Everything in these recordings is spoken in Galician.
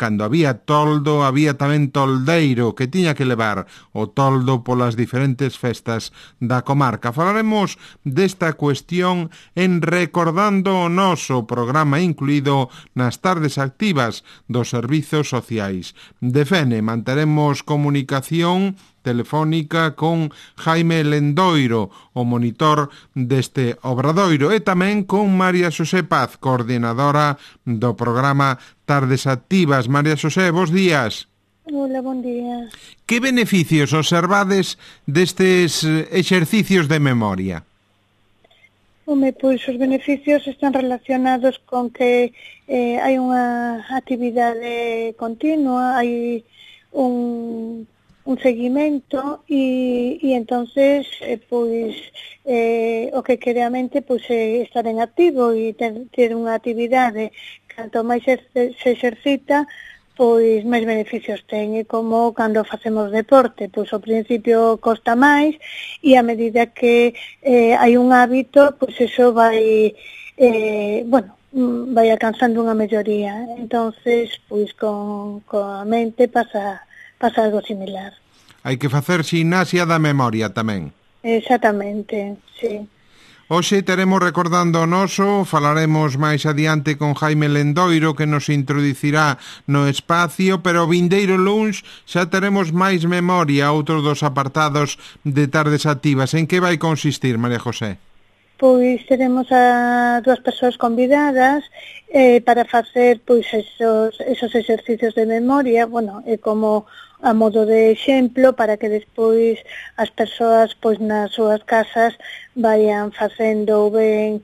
cando había toldo, había tamén toldeiro que tiña que levar o toldo polas diferentes festas da comarca. Falaremos desta cuestión en Recordando o Noso, programa incluído nas tardes activas dos servizos sociais de Fene. Manteremos comunicación telefónica con Jaime Lendoiro, o monitor deste obradoiro, e tamén con María Xosé Paz, coordinadora do programa Tardes Activas. María Xosé, bos días. Hola, bon día. Que beneficios observades destes exercicios de memoria? Home, pois os beneficios están relacionados con que hai unha actividade continua, hai un seguimento e entonces pois o que quere a mente pois é estar en activo e ter unha actividade. Canto máis se exercita, pois máis beneficios ten, e como cando facemos deporte, pois ao principio costa máis e a medida que hai un hábito, pois eso vai vai alcanzando unha melloría. Entonces, pois con a mente pasa algo similar. Hai que facer ximnasia da memoria tamén. Exactamente, sí. Hoxe teremos Recordando o Noso, falaremos máis adiante con Jaime Lendoiro, que nos introducirá no espacio, pero o vindeiro luns xa teremos máis memoria, outro dos apartados de Tardes Activas. En que vai consistir, María José? Pois teremos a dúas persoas convidadas para facer pois esos exercicios de memoria, como a modo de exemplo para que despois as persoas pois nas súas casas vayan facendo ben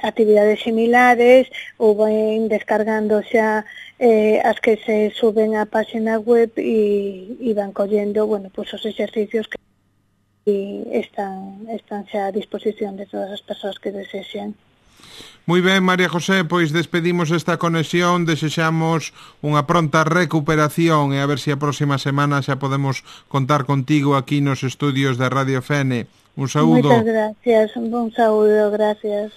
actividades similares ou ben descargando xa as que se suben á página web e van collendo pois os exercicios que están xa a disposición de todas as persoas que desexen. Moi ben, María José, pois despedimos esta conexión, desexamos unha pronta recuperación e a ver se a próxima semana xa podemos contar contigo aquí nos estudios de Radio Fene. Un saúdo. Moitas gracias, un saúdo, gracias.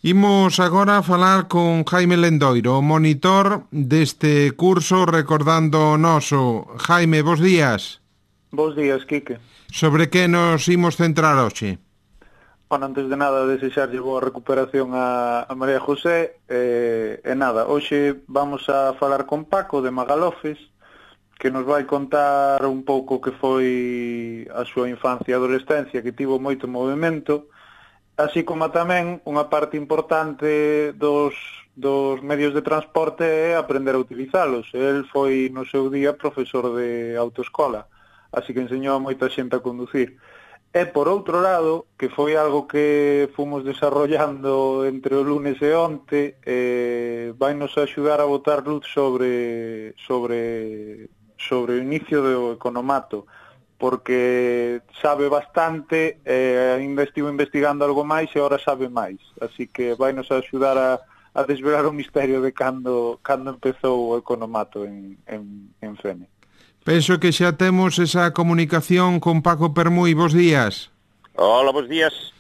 Imos agora a falar con Jaime Lendoiro, o monitor deste curso Recordando o Noso. Jaime, bos días. Bos días, Quique. Sobre que nos imos centrar hoxe? Bueno, antes de nada, desexarlle boa recuperación a María José. Nada, hoxe vamos a falar con Paco de Magalofes, que nos vai contar un pouco que foi a súa infancia e adolescencia, que tivo moito movimento, así como tamén unha parte importante dos medios de transporte é aprender a utilizalos. El foi no seu día profesor de autoescola, así que enseñou a moita xente a conducir. E por outro lado, que foi algo que fomos desarrollando entre o lunes e onte, vai nos axudar a botar luz sobre o inicio do economato, porque sabe bastante, ainda estivo investigando algo máis e ahora sabe máis, así que vai nos axudar a desvelar o misterio de cando empezou o economato en Fene. Penso que xa temos esa comunicación con Paco Permui. Bos días. Hola, bos días.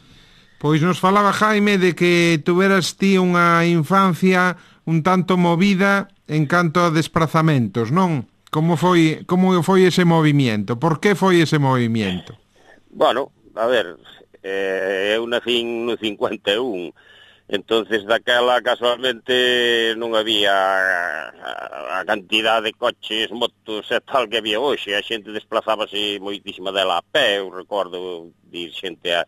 Pois nos falaba Jaime de que tuveras ti unha infancia un tanto movida en canto a desplazamentos, non? Como foi ese movimiento? Por que foi ese movimiento? Bueno, a ver, eu nacín no 51, entonces daquela casualmente non había a cantidad de coches, motos e tal que había hoxe. A xente desplazábase moitísima dela a pé. Eu recordo de ir xente a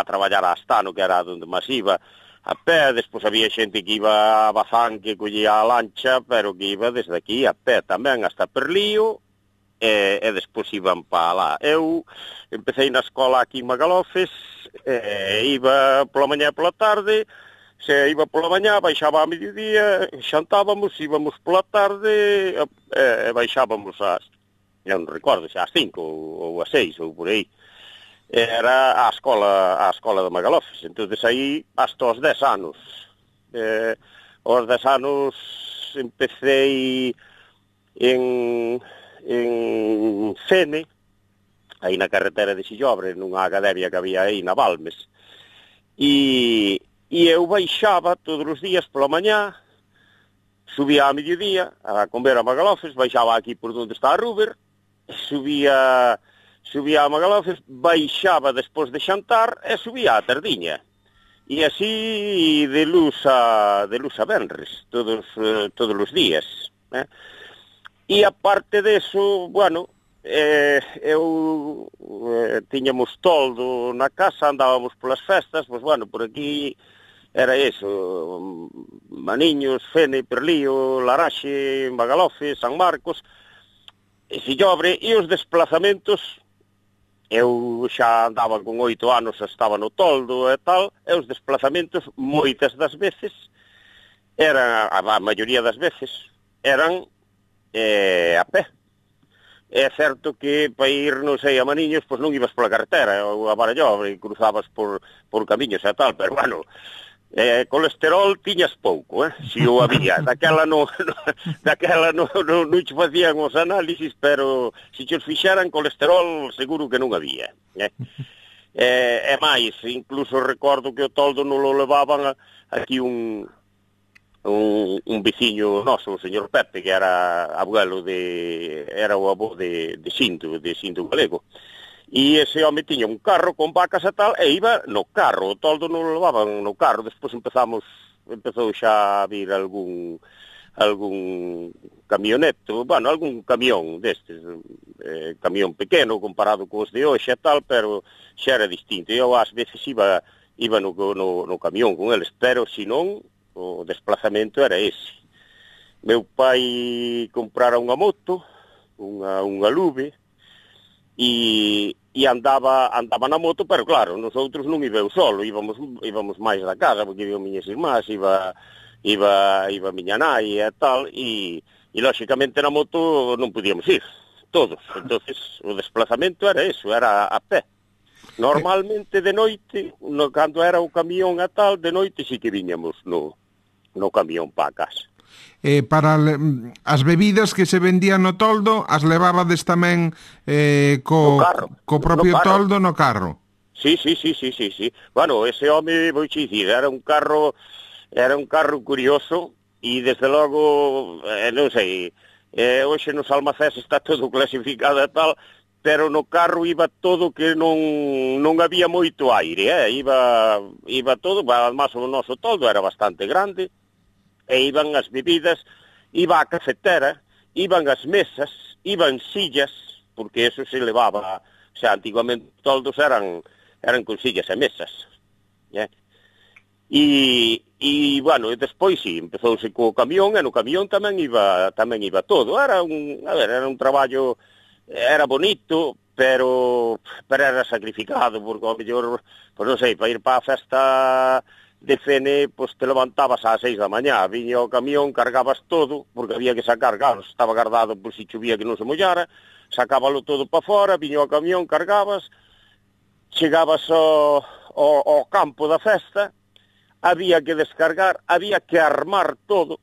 traballar a Astano, que era onde máis iba, a pé. Despois había xente que iba a Bazán, que collía a lancha, pero que iba desde aquí a pé tamén hasta Perlío, e despois iban para lá. Eu empecé na escola aquí en Magalofes, iba pola mañá e pola tarde. Se iba pola mañá, baixaba a mediodía, xantábamos, íbamos pola tarde, baixábamos non recordo, ás 5 ou ás 6 ou por aí. Era a escola de Magalofes. Entonces aí hasta os 10 anos. Aos 10 anos empecé en Fene, aí na carretera de Sillobre, nunha academia que había aí na Balmes. E eu baixaba todos os días pola mañá, subía a mediodía a comer a Magalofes, baixaba aquí por onde está a Ruber, subía a Magalofes, baixaba despois de xantar e subía a tardiña. E así de luz a venres, todos os días. E aparte deso, bueno, tiñamos toldo na casa, andábamos polas festas, pois bueno, por aquí era eso, Maniños, Fene, Perlío, Laraxe, Magalofe, San Marcos, e Sillobre, e os desplazamentos, eu xa andaba con 8 anos, estaba no toldo e tal, e os desplazamentos, moitas das veces, eran, a maioría das veces, eran a pé. É certo que para ir, non sei, a Maniños, pois non ibas pola carretera, ou a Barallobre, e cruzabas por camiños e tal, pero bueno, colesterol tiñas pouco, si o había. Daquela non che facían os análisis, pero se che os fixeran colesterol seguro que non había. E máis, incluso recordo que o toldo non lo levaban aquí un veciño noso, o señor Pepe, que era o avó de Xinto Galego. E ese home tiña un carro con vacas e tal, e iba no carro, o toldo non lo levaban no carro. Despois empezou xa a vir algún camioneto, bueno, algún camión destes, camión pequeno comparado cos de hoxe e tal, pero xa era distinto. Eu ás veces iba no camión con eles, pero senón o desplazamento era ese. Meu pai comprara unha moto, unha Lube, e andaba na moto, pero claro, nosotros non iba eu solo, íbamos máis da casa, porque iba miñas irmás, iba miña nai e tal, e lóxicamente na moto non podíamos ir, todos. Entonces o desplazamento era eso, era a pé. Normalmente de noite, cando era o camión e tal, de noite sí que viñamos no camión para a casa. Para as bebidas que se vendían no toldo, as levabades tamén co propio toldo no carro? Sí. Bueno, ese home, vou che dicir, era un carro curioso, e desde logo, non sei, hoxe nos almacés está todo clasificado e tal, pero no carro iba todo que non había moito aire, iba todo, además o noso toldo era bastante grande, e iban as bebidas, iba a cafetera, iban as mesas, iban sillas, porque eso se levaba, o sea, antiguamente toldos eran con sillas e mesas. E bueno, e despois sí, empezouse co camión, e no camión tamén iba todo. Era un traballo, era bonito, pero era sacrificado, porque ao mellor, pois non sei, para ir para a festa de Fene, pois te levantabas ás 6 da mañá, viña o camión, cargabas todo, porque había que sacar, claro, estaba guardado por si chovía que non se mollara, sacábalo todo para fora, viña o camión, cargabas, chegabas ao campo da festa, había que descargar, había que armar todo,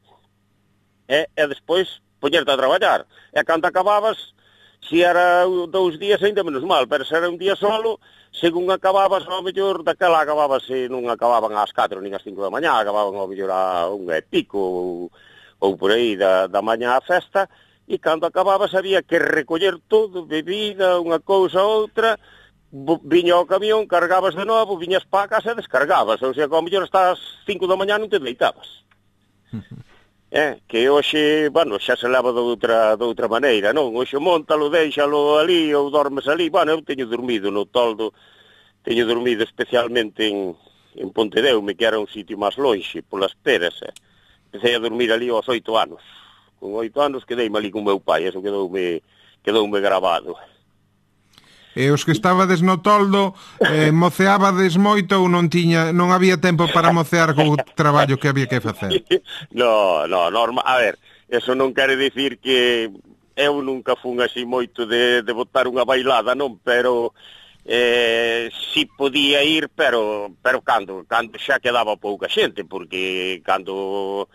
e despois poñerte a traballar. E cando acababas, se era 2 días ainda menos mal, pero se era un día solo, según acababas, ao mellor, daquela acababas, non acababan ás 4 nin ás 5 da mañá, acababan ao mellor a 1:00 ou por aí da mañá a festa, e cando acababas había que recoller todo, bebida, unha cousa ou outra, viña o camión, cargabas de novo, viñas para a casa e descargabas, ou sea, que ao mellor hasta as 5 da mañá non te deitabas. Que hoxe, bueno, xa se leva de outra maneira, non? Hoxe montalo, déixalo ali, ou dormes ali. Bueno, eu teño dormido no toldo, teño dormido especialmente en Pontedeume, que era un sitio máis lonxe, polas Peras. Empecé a dormir ali aos 8 anos. Con 8 anos quedeime ali con meu pai, eso quedoume grabado. E os que estabades no toldo, moceábades moito ou non había tempo para mocear co traballo que había que facer? No, normal. A ver, eso non quere dicir que eu nunca fun así moito de botar unha bailada, non? Pero si podía ir, pero cando xa quedaba pouca xente, porque cando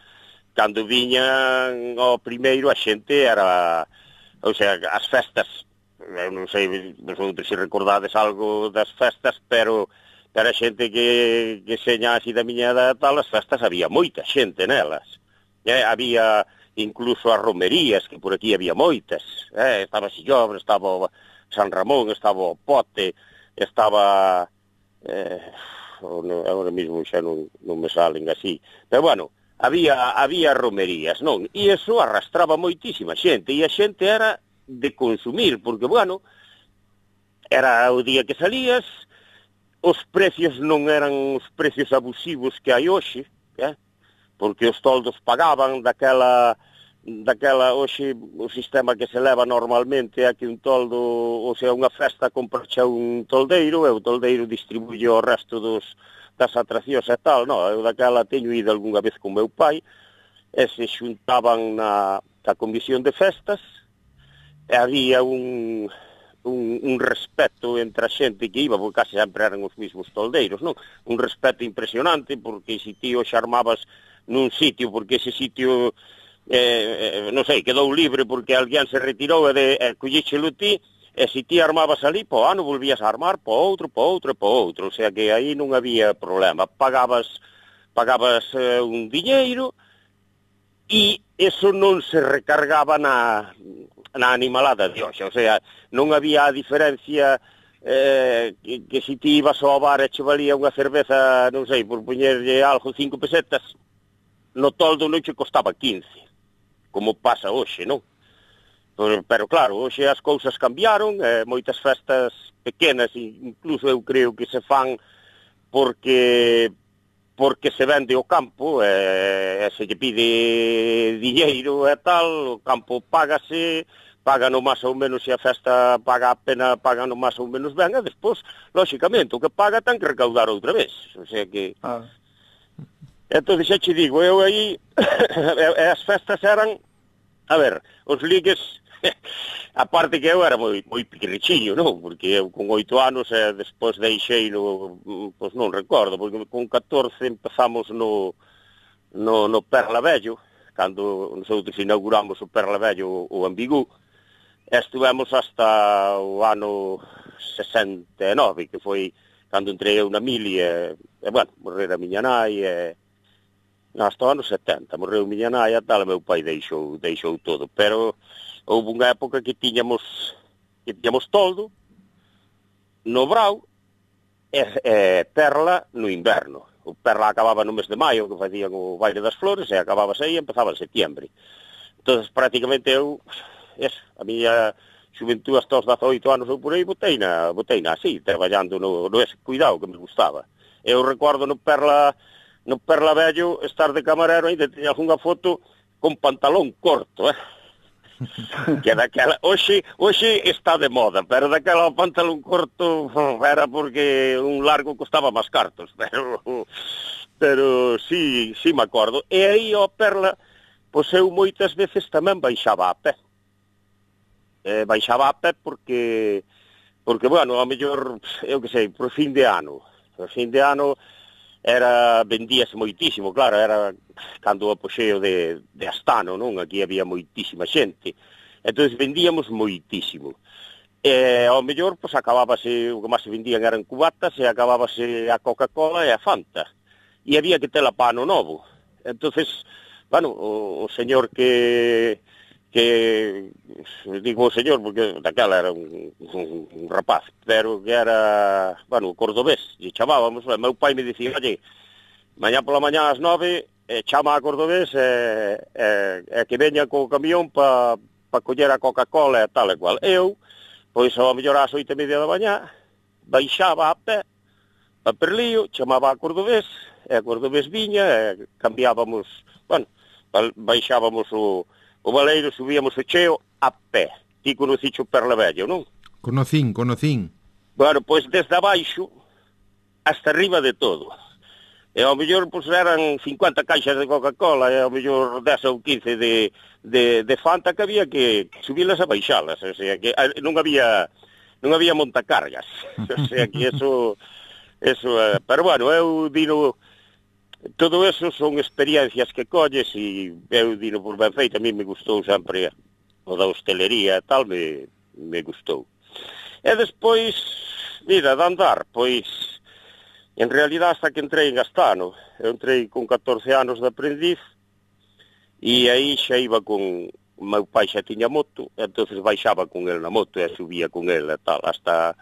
viñan ao primeiro a xente era, ou sea, as festas, eu non sei vosotros se recordades algo das festas, pero a xente que seña así da miña edad tal, as festas había moita xente nelas. Había incluso as romerías, que por aquí había moitas. Estaba Sillobre, estaba San Ramón, estaba o Pote, estaba... agora mesmo xa non me salen así. Pero bueno, había romerías, non? E iso arrastraba moitísima xente, e a xente era de consumir, porque, bueno, era o día que salías, os precios non eran os precios abusivos que hai hoxe, porque os toldos pagaban daquela hoxe, o sistema que se leva normalmente é que un toldo, ou sea, unha festa compracha un toldeiro, e o toldeiro distribuye ao resto das atraccións e tal. No, eu daquela teño ido algunha vez con meu pai, e se xuntaban na comisión de festas, e había un respeto entre a xente que iba, porque case sempre eran os mismos toldeiros, non? Un respeto impresionante, porque se ti os armabas nun sitio, porque ese sitio, non sei, quedou libre porque alguén se retirou e collíchelo ti, e se ti armabas ali, po ano volvías a armar po outro, o sea que aí non había problema. Pagabas un diñeiro, e eso non se recargaba na animalada de hoxe, o sea, non había a diferencia que se ti ibas ao bar e che valía unha cerveza, non sei, por poñerlle algo 5 pesetas, no toldo non che costaba 15, como pasa hoxe, non? Pero claro, hoxe as cousas cambiaron, moitas festas pequenas, incluso eu creo que se fan porque se vende o campo, e se lle pide diñeiro e tal, o campo págase, paga no máis ou menos, se a festa paga a pena, paga no máis ou menos ben, e despois, lóxicamente, o que paga ten que recaudar outra vez, o sea que... Entón, xa che digo, eu aí, as festas eran, a ver, os ligues, aparte que eu era moi pequenichiño, non? Porque eu con 8 anos, despois deixei pois non recordo, porque con 14 empezamos no Perla Vello, cando nosotros inauguramos o Perla Vello, o Ambigú, e estuvemos hasta o ano 69, que foi cando entrei eu na mili, e bueno, morrer a miña nai, hasta o ano 70, morreu miña nai e tal, meu pai deixou todo, pero houve unha época que tiñamos toldo no brao e perla no inverno. O perla acababa no mes de maio, que facían o baile das flores, e acababa aí e empezaba en setembro. Entón, prácticamente eu, a miña xuventud hasta os 18 anos ou por aí, boteina así, traballando no ese cuidado que me gustaba. Eu recordo no Perla Vello estar de camarero, ainda teña algunha foto con pantalón corto, que daquela, hoxe está de moda, pero daquela o pantalón corto era porque un largo costaba máis cartos, pero sí me acordo. E aí o Perla, pois eu moitas veces tamén baixaba a pé. Baixaba a pé porque bueno, a mellor, eu que sei, por fin de ano vendíase moitísimo, claro, era cando o apoxeo de Astano, non? Aquí había moitísima xente, entón vendíamos moitísimo, e ao mellor, pois, acabábase, o que máis se vendían eran cubatas, e acabábase a Coca-Cola e a Fanta, e había que tela pa ano novo. Entonces, bueno, o señor que digo o señor porque daquela era un rapaz, pero que era, bueno, cordobés, e chamábamos, meu pai me dicía, oye, mañá pola mañá ás 9, chama a cordobés e que veña co camión pa coller a Coca-Cola e tal e cual. Eu, pois ao mellor ás 8:30 da mañá, baixaba a pé a Perlío, chamaba a cordobés, e a cordobés viña, e cambiábamos, bueno, baixábamos o Valeiro, subíamos o cheo a pé. Ti conocicho Perla Vello, non? Conocín. Bueno, pois desde abaixo hasta arriba de todo. E ao mellor pois eran 50 caixas de Coca-Cola, e ao mellor 10 ou 15 de Fanta, que había que subirlas a baixalas, o sea, que non había montacargas. O sea, que eso pero bueno, eu dino. Todo eso son experiencias que colles, e eu dino por ben feito, a mí me gustou sempre o da hostelería e tal, me gustou. E despois, mira, de andar, pois, en realidad hasta que entrei en Astano, eu entrei con 14 anos de aprendiz, e aí xa iba con... O meu pai xa tiña moto, entonces baixaba con el na moto e subía con el e tal, hasta...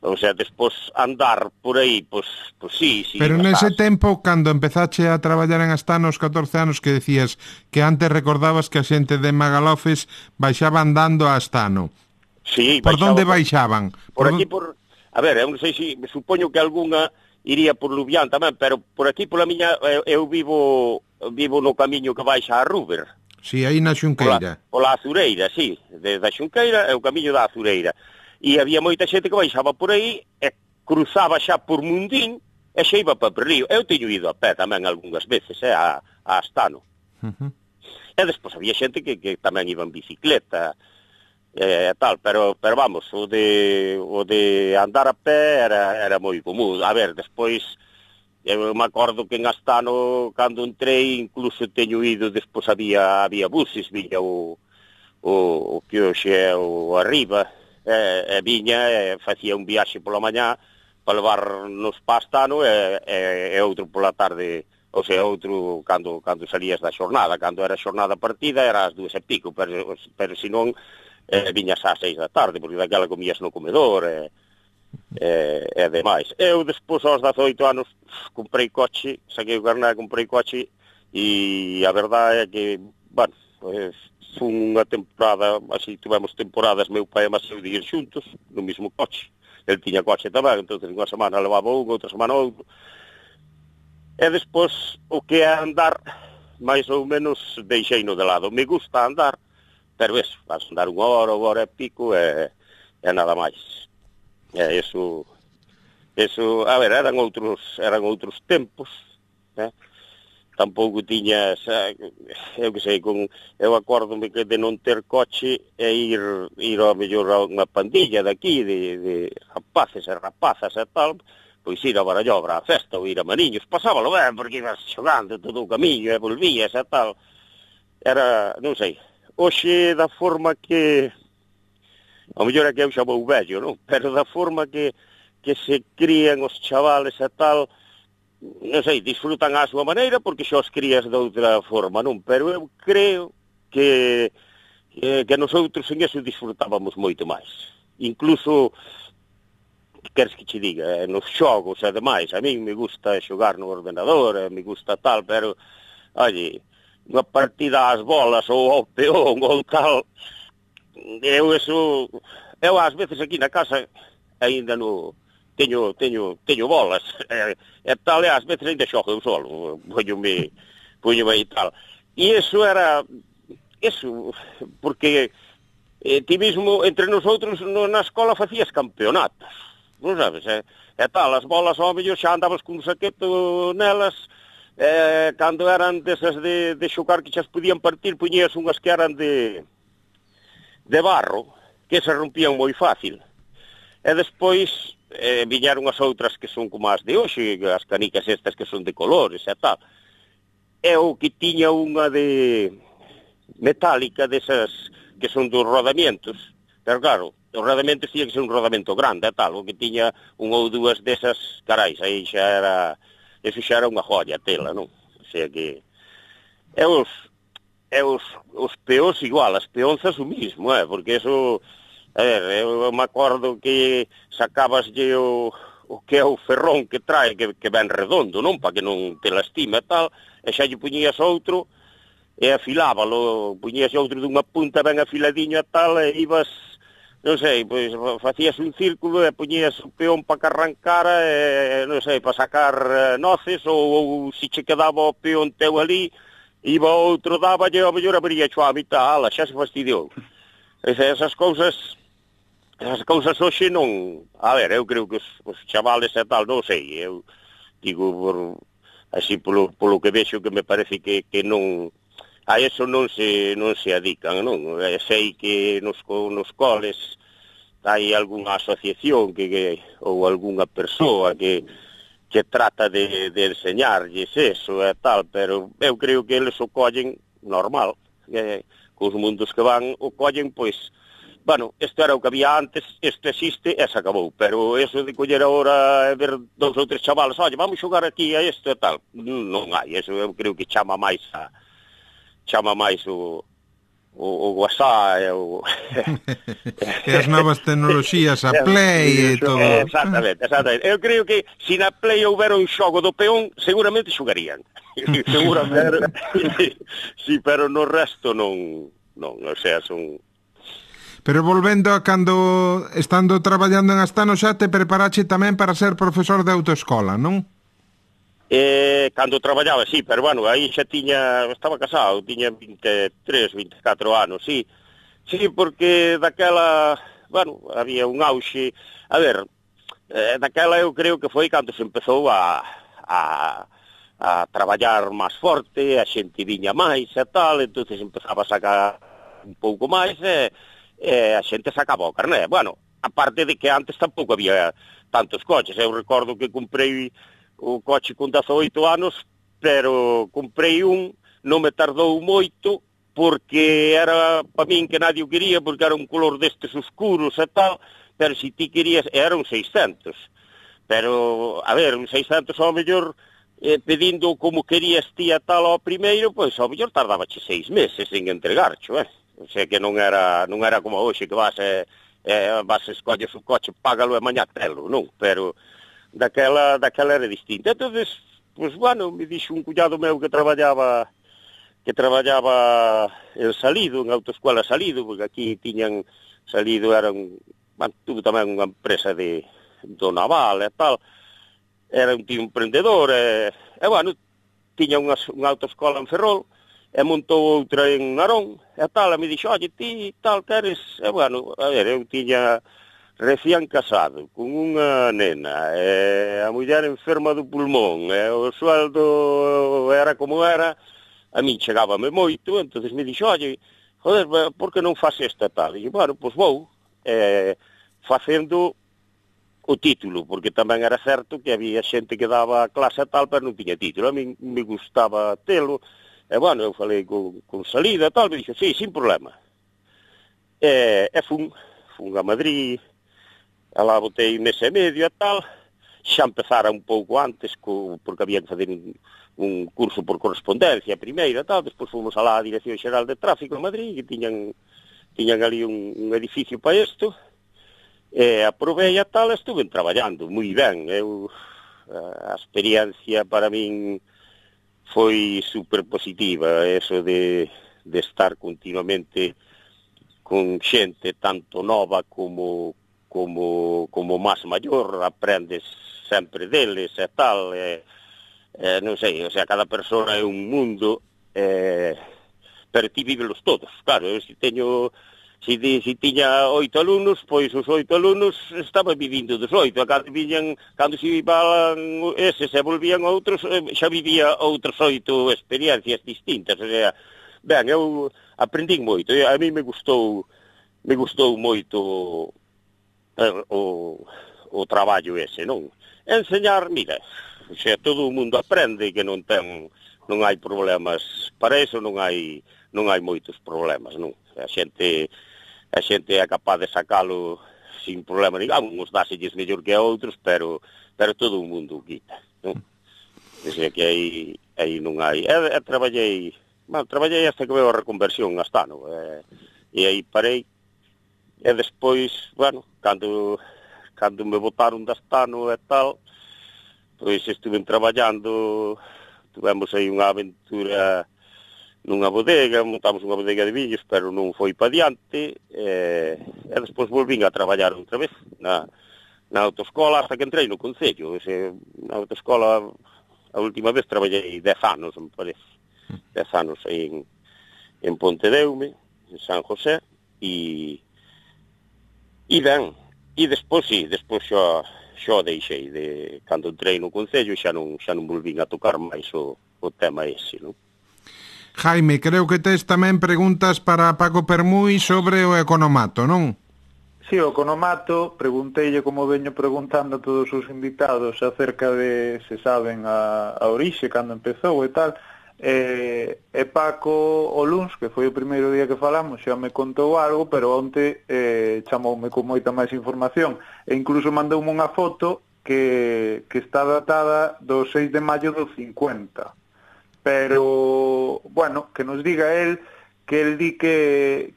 O sea, despois andar por aí, pois sí. Pero nese tempo, cando empezache a traballar en Astano aos 14 anos, que decías que antes recordabas que a xente de Magalofes baixaba andando a Astano. Sí, por onde baixaban? Por aquí, A ver, eu non sei se... Supoño que algunha iría por Lubián tamén, pero por aquí, pola miña... Eu vivo no camiño que baixa a Ruber. Si, aí na Xunqueira. Pola Azureira, sí. Desde a Xunqueira é o camiño da Azureira. E había moita xente que baixaba por aí e cruzaba xa por Mundín e xa iba para Perrío. Eu teño ido a pé tamén algunhas veces, a Astano. E despois había xente que tamén iba en bicicleta e tal, pero vamos, o de andar a pé era moi común. A ver, despois... Eu me acordo que en Astano, cando entrei, incluso teño ido, despois había buses, viña o que hoxe é o Arriba, e viña e facía un viaxe pola mañá para levarnos para Astano e outro pola tarde, ou sea, outro cando salías da xornada. Cando era xornada partida era ás 2:00 e pico, pero senón viñas ás 6 da tarde, porque daquela comías no comedor e demais. Eu despois aos 18 anos comprei coche, saquei o carné, comprei coche e a verdade é que, bueno, pues, unha temporada, así tivemos temporadas meu pai e Maseu de ir xuntos no mesmo coche. El tiña coche tamén, entón unha semana levaba un, outra semana outro. E despois o que é andar, máis ou menos deixeino de lado. Me gusta andar, pero eso, vas andar unha hora e pico e nada máis. Eso, a ver, eran outros tempos, tampouco tiñas, eu que sei, eu acórdome que de non ter coche e ir ao mellor a unha pandilla daqui, de rapaces e rapazas e tal, pois ir a Barallobra a festa ou ir a Mariños, pasábalo ben, porque ibas xogando todo o camiño e volvías e tal, era, non sei, hoxe da forma que... A mellor é que eu xa vou vello, non? Pero da forma que se crían os chavales e tal, non sei, disfrutan á súa maneira porque xa os crías de outra forma, non? Pero eu creo que nosotros en eso disfrutábamos moito máis. Incluso, que queres que che diga, nos xogos e demais, a mí me gusta xogar no ordenador, me gusta tal, pero, oye, unha partida ás bolas ou ao peón ou tal... Eu ás veces aquí na casa aínda no teño bolas e tal, e ás veces aínda xogo eu solo, poñome e tal. E eso porque ti mesmo entre nosotros na escola facías campeonatos, non sabes, e tal, as bolas ao mellor xa andabas con un saqueto nelas, cando eran desas de xogar que xa podían partir, poñías unhas que eran de barro, que se rompían moi fácil. E despois viñeron as outras que son como as de hoxe, as canicas estas que son de colores e tal. E o que tiña unha de metálica, desas que son dos rodamientos, pero claro, os rodamentos tiña que ser un rodamento grande e tal, o que tiña unha ou dúas desas, carais, aí eso xa era unha joya tela, non? O sea que... os peós igual, as peonzas o mismo, porque eso, a ver, eu me acordo que sacabaslle o que é o ferrón que trae, que ven redondo, non? Para que non te lastime e tal, e xa lle puñías outro, e afilábalo, puñías outro dunha punta ben afiladiño e tal, e ibas, non sei, pois facías un círculo e puñías o peón para que arrancara, e non sei, para sacar noces, ou se che quedaba o peón teu ali, iba outro, dáballe, ao mellor abría a mitad, xa se fastidiou. Esas cousas hoxe non... A ver, eu creo que os chavales e tal, non sei, eu digo, así polo que vexo, que me parece que non... A eso non se adican, non? Sei que nos coles hai algunha asociación ou algunha persoa que trata de enseñarlles eso e tal, pero eu creo que eles o collen normal, cos mundos que van o collen, pois, bueno, isto era o que había antes, isto existe e se acabou, pero eso de coller agora e ver 2 ou 3 chavales, oye, vamos xogar aquí a isto e tal, non hai, eso eu creo que chama máis chama máis o WhatsApp e as novas tecnoloxías, a Play e todo. Exactamente. Eu creo que se na Play houbera un xogo do peón, seguramente xogarían. Seguramente. Sí, pero no resto non, o sea, son... Pero volvendo a cando estando traballando en Astano xa te preparache tamén para ser profesor de autoescola, non? Cando traballaba, sí, pero bueno, aí xa estaba casado, tiña 23, 24 anos, sí. Sí, porque daquela, bueno, había un auxe. A ver, daquela eu creo que foi cando se empezou a traballar máis forte, a xente viña máis e tal, entonces empezaba a sacar un pouco máis e a xente sacaba o carné. Bueno, aparte de que antes tampouco había tantos coches. Eu recordo que comprei o coche con 18 anos, pero comprei non me tardou moito, porque era para min que nadie o quería, porque era un color destes oscuros e tal, pero se ti querías, era un 600. Pero, a ver, un 600 ao mellor, pedindo como querías ti a tal ao primeiro, pois ao mellor tardabache 6 meses en entregarcho, O sea que non era como hoxe que vas escolles o coche, págalo e mañá telo, non? Pero daquela era distinta. Entonces, pues bueno, me dixo un cuñado meu que traballaba en Salido, en autoescola Salido, porque aquí tiñan Salido, tuvo tamén unha empresa do naval e tal, era un tío emprendedor, e bueno, tiña unha autoescola en Ferrol, e montou outra en Narón, e tal, e me dixo, oye, ti tal queres, e bueno, a ver, eu tiña recién casado, con unha nena, e a muller enferma do pulmón, e o sueldo era como era, a mí chegábame moito, entonces me dixo, oye, joder, por que non faz esta tal? E bueno, pois vou, facendo o título, porque tamén era certo que había xente que daba clase tal, pero non tiña título, a mí me gustaba telo, e bueno, eu falei con Salida e tal, me dixo, sí, sin problema. E fun a Madrid, alá botei mes e medio e tal, xa empezara un pouco antes, porque había que fazer un curso por correspondencia primeiro e tal, despois fomos alá á Dirección Xeral de Tráfico en Madrid, que tiñan ali un edificio para isto, e aprovei e tal, estuve traballando moi ben. A experiencia para min foi super positiva, eso de estar continuamente con xente tanto nova como máis maior, aprendes sempre deles e tal, non sei, o sea, cada persona é un mundo, pero ti vívelos todos, claro, se tiña 8 alumnos, pois os 8 alumnos estaban vivindo dos 8, cando se iban eses e volvían outros, xa vivía outros 8 experiencias distintas, o sea, ben, eu aprendín moito, a mí me gustou moito o traballo ese, non? Enseñar, mira, o sea, todo o mundo aprende, que non hai problemas para eso, non hai moitos problemas, non? A xente é capaz de sacalo sin problema, digamos, uns dáselles mellor que a outros, pero todo o mundo o quita, non? O sea que aí non hai. Traballei hasta que veo a reconversión en Astano, e aí parei, e despois, bueno, cando me botaron de Astano e tal, pois estuve traballando, tivemos aí unha aventura nunha bodega, montamos unha bodega de viños, pero non foi pa diante, e despois volvín a traballar outra vez na autoescola hasta que entrei no Concello. Na autoescola a última vez traballei 10 anos, me parece, 10 anos aí en Pontedeume, en San José, e ben, e despois xa deixei, cando entrei no Concello xa non volvín a tocar máis o tema ese, non? Jaime, creo que tes tamén preguntas para Paco Permui sobre o economato, non? Si, o economato, pregunteille como veño preguntando a todos os invitados acerca de se saben a orixe, cando empezou e tal, e Paco o luns, que foi o primeiro día que falamos, xa me contou algo, pero onte chamoume con moita máis información, e incluso mandoume unha foto que está datada do 6 de maio do 50. pero, bueno, que nos diga el di que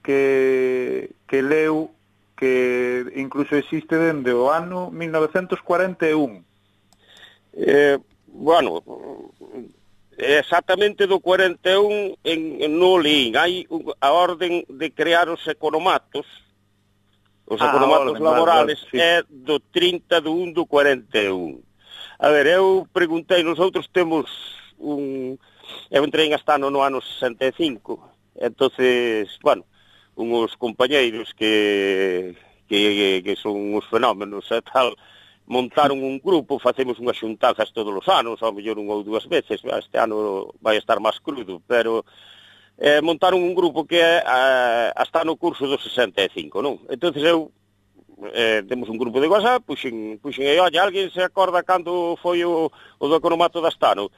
leu que incluso existe dende o ano 1941. Bueno, exactamente do 41 no lín. Hai a orden de crear os economatos. Os economatos laborales é do 30 de 1 do 41. A ver, eu preguntei, nosotros temos eu entrei en Astano no ano 65, entonces, bueno, uns compañeiros que son uns fenómenos e tal, montaron un grupo, facemos unhas xuntanzas todos os anos, ao mellor un ou dúas veces, este ano vai estar máis crudo, pero montaron un grupo que está no curso do 65, non? Entonces eu temos un grupo de WhatsApp, puxen aí, olla, alguén se acorda cando foi o do economato de Astano?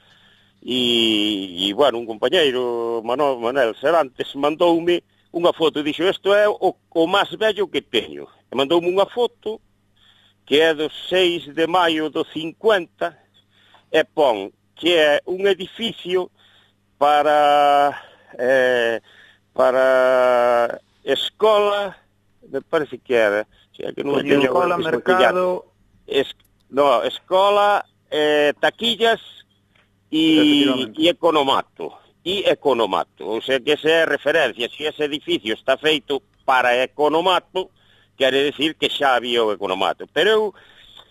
E bueno, un compañeiro, Manel Serantes, mandoume unha foto e dixo, isto é o máis vello que teño. E mandoume unha foto que é do 6 de maio do 50 e pon que é un edificio para escola, me parece que era, que non escola, mercado... escola, taquillas e economato. O sea que esa é referencia. Se ese edificio está feito para economato, quere decir que xa había o economato. Pero eu,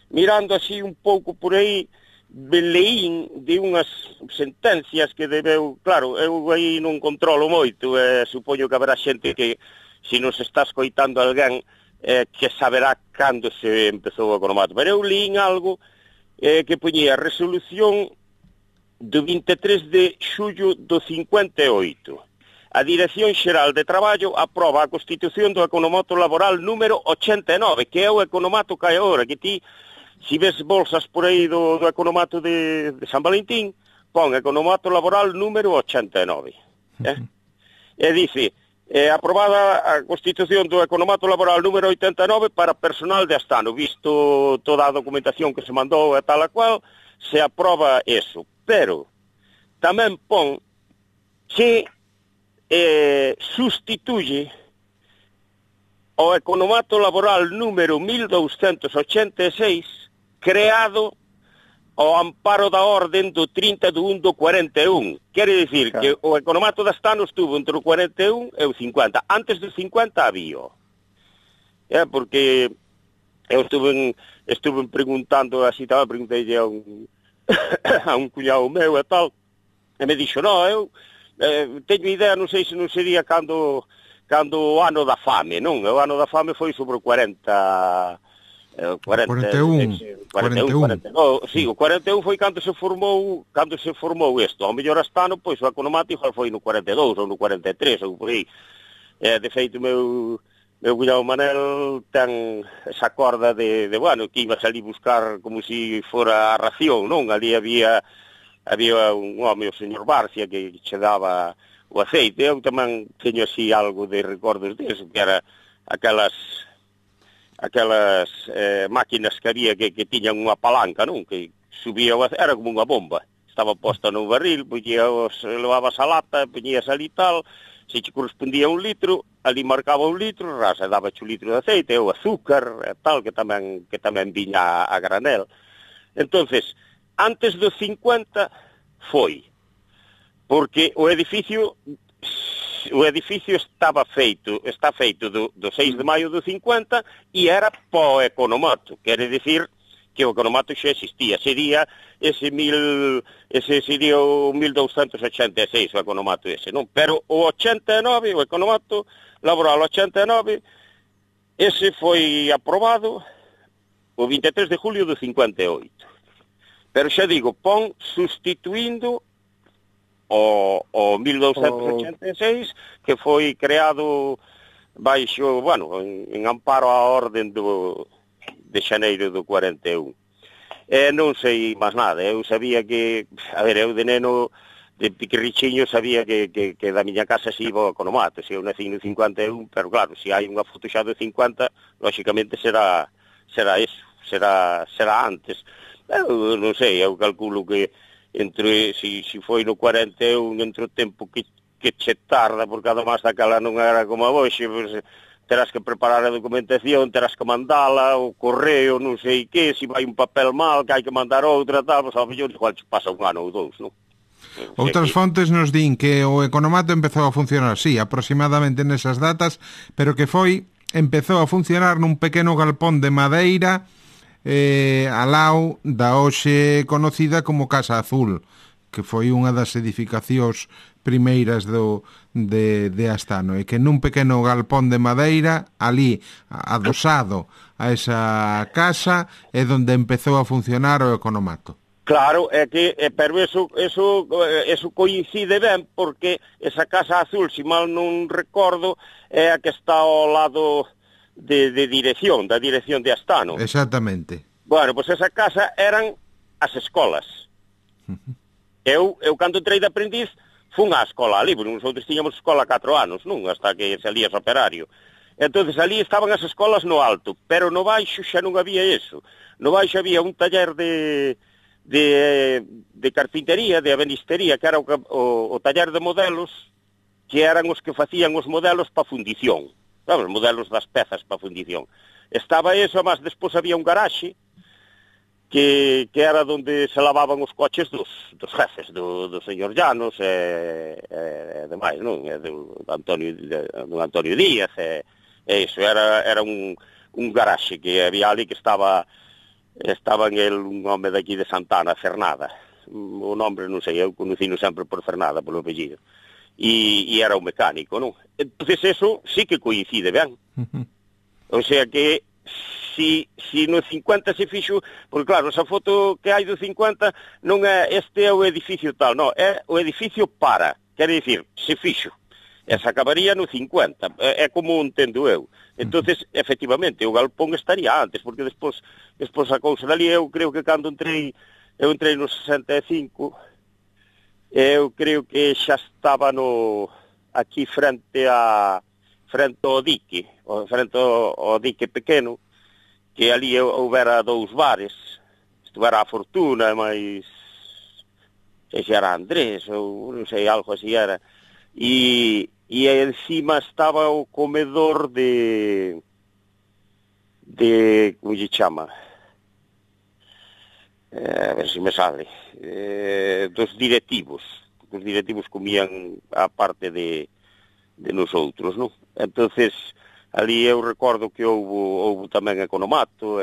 mirando así un pouco por aí, leín de unhas sentencias que debeu... Claro, eu aí non controlo moito, supoño que haberá xente que, se nos está escoitando alguén, que saberá cando se empezou o economato. Pero eu leín algo que poñía resolución do 23 de xullo do 58. A Dirección Xeral de Traballo aproba a constitución do economato laboral número 89, que é o economato que hai agora, que ti, se ves bolsas por aí do economato de San Valentín, pon economato laboral número 89. E dice, aprobada a constitución do economato laboral número 89 para personal de Astano, visto toda a documentación que se mandou e tal a cual, se aproba eso. Pero tamén pon que sustituye o economato laboral número 1286 creado ao amparo da orden do 30 de 1 do 41. Quere dicir que o economato de Astano estuvo entre o 41 e o 50. Antes do 50 había. Porque eu estuve preguntando así, preguntei a un cuñado meu e tal, e me dixo, eu teño idea, non sei se non sería cando o ano da fame, non? O ano da fame foi sobre o 41. Sí, o 41 foi cando se formou isto. Ao mellor Astano, pois o economato igual foi no 42 ou no 43 ou por aí. De feito, meu cuñado Manel ten esa corda de bueno, que iba a salir buscar como se fora a ración, non? Ali había un home, o señor Barcia, que che daba o aceite. Eu tamén teño así algo de recordos disso, que era aquelas máquinas que había que tiñan unha palanca, non? Que subía o aceite, era como unha bomba. Estaba posta no barril, levabas a lata, poñías ali tal, se che correspondía un litro, ali marcaba un litro, rasa, daba un litro de aceite, ou azúcar, e tal, que tamén viña a granel. Entonces, antes do 50 foi, porque o edificio está feito do 6 de maio do 50 e era po economato, quere dicir que o economato xa existía, sería sería o 1286 o economato ese, non? Pero o 89, o economato laboral 89, ese foi aprobado o 23 de julio do 58. Pero xa digo, pon sustituindo o 1286, que foi creado baixo, bueno, en amparo á orden de xaneiro do 41. Non sei máis nada, eu sabía que, a ver, eu de neno, de piquirrichiño, sabía que da miña casa se iba ao economato, se eu nací no 51, pero claro, se hai unha foto xa do 50, lóxicamente será eso, será antes. Eu non sei, eu calculo que si foi no 41, entre o tempo que che tarda, porque además daquela non era como a hoxe, pues, terás que preparar a documentación, terás que mandala, o correo, non sei que, se vai un papel mal, que hai que mandar outra, tal, pues, ao mellor igual pasa un ano ou dous, non? Outras fontes nos din que o economato empezou a funcionar, sí, aproximadamente nesas datas, pero que empezou a funcionar nun pequeno galpón de madeira ao lado da hoxe conocida como Casa Azul, que foi unha das edificacións primeiras de Astano, e que nun pequeno galpón de madeira, ali adosado a esa casa, é onde empezou a funcionar o economato. Claro, pero eso coincide ben, porque esa Casa Azul, se mal non recordo, é a que está ao lado da dirección de Astano. Exactamente. Bueno, pois esa casa eran as escolas. Eu cando entrei de aprendiz, fun á escola ali, porque nosotros tiñamos escola 4 anos, non? Hasta que salías operario. Entonces ali estaban as escolas no alto, pero no baixo xa non había eso. No baixo había un taller de carpintería, de ebenistería, que era o taller de modelos, que eran os que facían os modelos para fundición. Sabes, os modelos das pezas para fundición. Estaba eso, mas despois había un garaxe, que era onde se lavaban os coches dos jefes, do señor Llanos e demais, non? Do Antonio Díaz, e iso, era un garaxe que había ali que estaba un home daqui de Santana, Fernada, o nombre non sei, eu conocino sempre por Fernada, polo apellido, e era un mecánico, non? Entonces eso sí que coincide, ben? O sea que si no 50 se fixo, porque claro, esa foto que hai do 50 non é este é o edificio tal, non, é o edificio quere dicir, se fixo, e se acabaría no 50, é como entendo eu. Entonces, efectivamente, o galpón estaría antes, porque despois a cousa dali, eu creo que cando entrei no 65, eu creo que xa estaba aquí frente ao dique, frente ao dique pequeno, que ali houbera 2 bares, estuvera a Fortuna, mas sei se era Andrés, ou non sei, algo así era, e encima estaba o comedor de como lle chama, a ver se me sale, dos directivos. Os directivos comían a parte de nosotros, non? Entonces, ali eu recordo que houve tamén economato,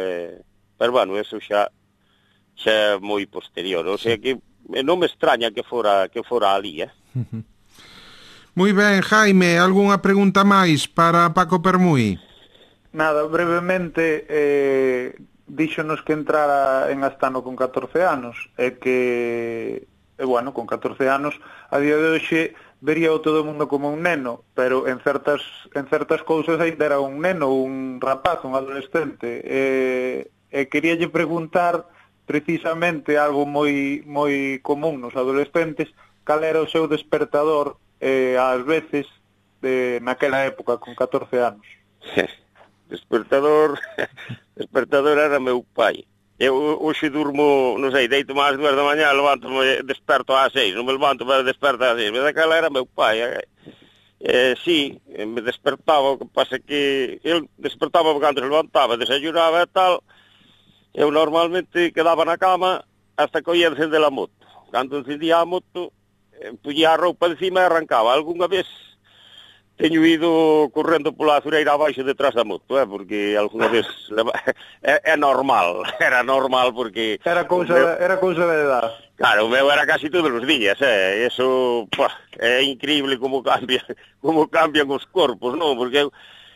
pero bueno, eso xa é moi posterior, o sea que non me extraña que fora ali, Moi ben, Jaime, algunha pregunta máis para Paco Permui? Nada, brevemente, díxonos que entrara en Astano con 14 anos, e que, bueno, con 14 anos, a día de hoxe, vería o todo o mundo como un neno, pero en certas cousas ainda era un neno, un rapaz, un adolescente. Queríalle preguntar precisamente algo moi común nos adolescentes, cal era o seu despertador ás veces naquela época con 14 anos. Despertador era meu pai. Eu hoxe durmo, non sei, deito máis 2 da mañá, levanto-me, desperto ás 6, non me levanto, pero desperto ás 6, mas aquela era meu pai. Sí, me despertaba, o que pasa que eu despertaba cando se levantaba, desayunaba e tal, eu normalmente quedaba na cama hasta que oía encender a moto. Cando encendía a moto, puñía a roupa encima e arrancaba. Algúnha vez teño ido correndo pola azureira abaixo detrás da moto, porque algunha vez é normal, era normal porque era cousa de edad. Claro, o meu era casi todos os días, eso é increíble como cambian os corpos, non? Porque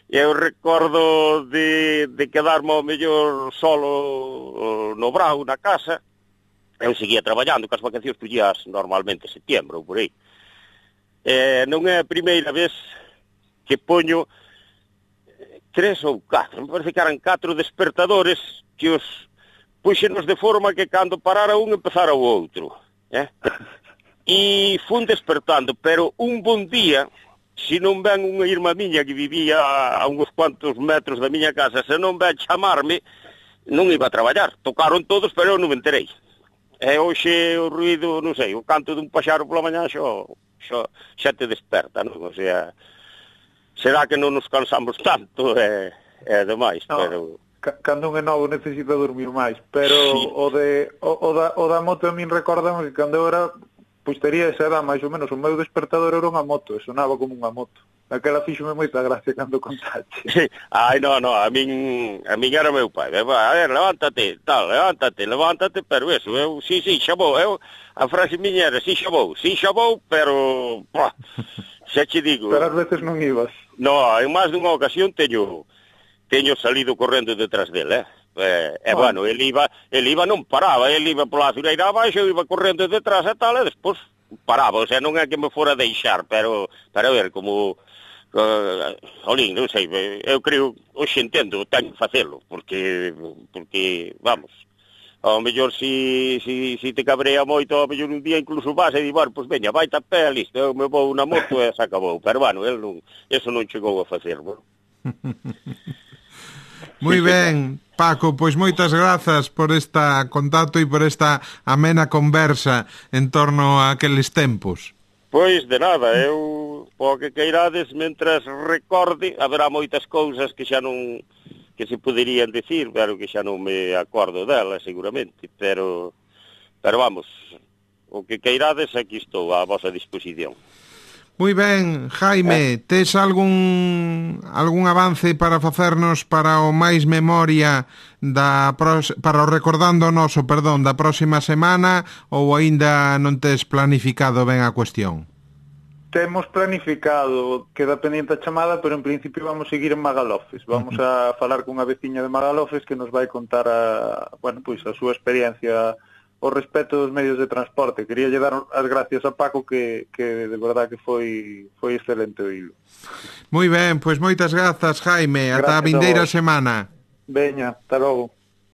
eu recordo de quedarme ao mellor solo no brao na casa. Eu seguía traballando, que as vacacións pullías normalmente setembro ou por aí. Non é a primeira vez que poño 3 ou 4, me parece que eran 4 despertadores que os puxenos de forma que cando parara un empezara o outro. E fun despertando, pero un bon día, se non ven unha irmá miña que vivía a uns cuantos metros da miña casa, se non ven chamarme, non iba a traballar. Tocaron todos, pero eu non me enterei. E hoxe o ruido, non sei, o canto dun paxaro pola mañá xa te desperta, non? O sea, será que non nos cansamos tanto e demais, no, pero... Cando un é novo necesita dormir máis, pero sí. o da moto a min recorda que cando eu era, pois tería esa edad máis ou menos, o meu despertador era unha moto, e sonaba como unha moto. Aquela fíxome moita gracia cando contaste. Ai, no, a min era meu pai. A ver, levántate, pero eso, sí, xa vou. A frase miña era, sí, xa vou, pero, xa che digo. Pero ás veces non ibas. No, en máis dunha ocasión teño salido correndo detrás dele, bueno, el iba non paraba, el iba pola fileira abaixo, eu iba correndo detrás e tal, e despois paraba, o sea, non é que me fora deixar, pero a ver, como... Olín, non sei, eu creo, hoxe entendo, teño que facelo, porque, vamos, ao mellor si te cabrea moito, ao mellor un día incluso vas e di, bueno, pois veña, vai a pé, listo, eu me vou na moto e se acabou, pero bueno, eso non chegou a facer, bueno. Moi ben, Paco, pois moitas grazas por esta contacto e por esta amena conversa en torno a aqueles tempos. Pois de nada, eu po que queirades, mentras recorde, haberá moitas cousas que xa non que se poderían decir, pero que xa non me acordo delas seguramente, pero vamos, o que queirades aquí estou a vosa disposición. Moi ben, Jaime, tes algún avance para facernos para o máis memoria para o recordando o noso, da próxima semana, ou aínda non tes planificado ben a cuestión? Temos planificado, queda pendiente a chamada, pero en principio vamos seguir en Magalofes. Vamos a falar cunha veciña de Magalofes que nos vai contar a súa experiencia o respecto dos medios de transporte. Quería lle dar as gracias a Paco que de verdad que foi excelente oílo. Moi ben, pois moitas grazas, Jaime. Ata a vindeira semana. Veña, hasta logo.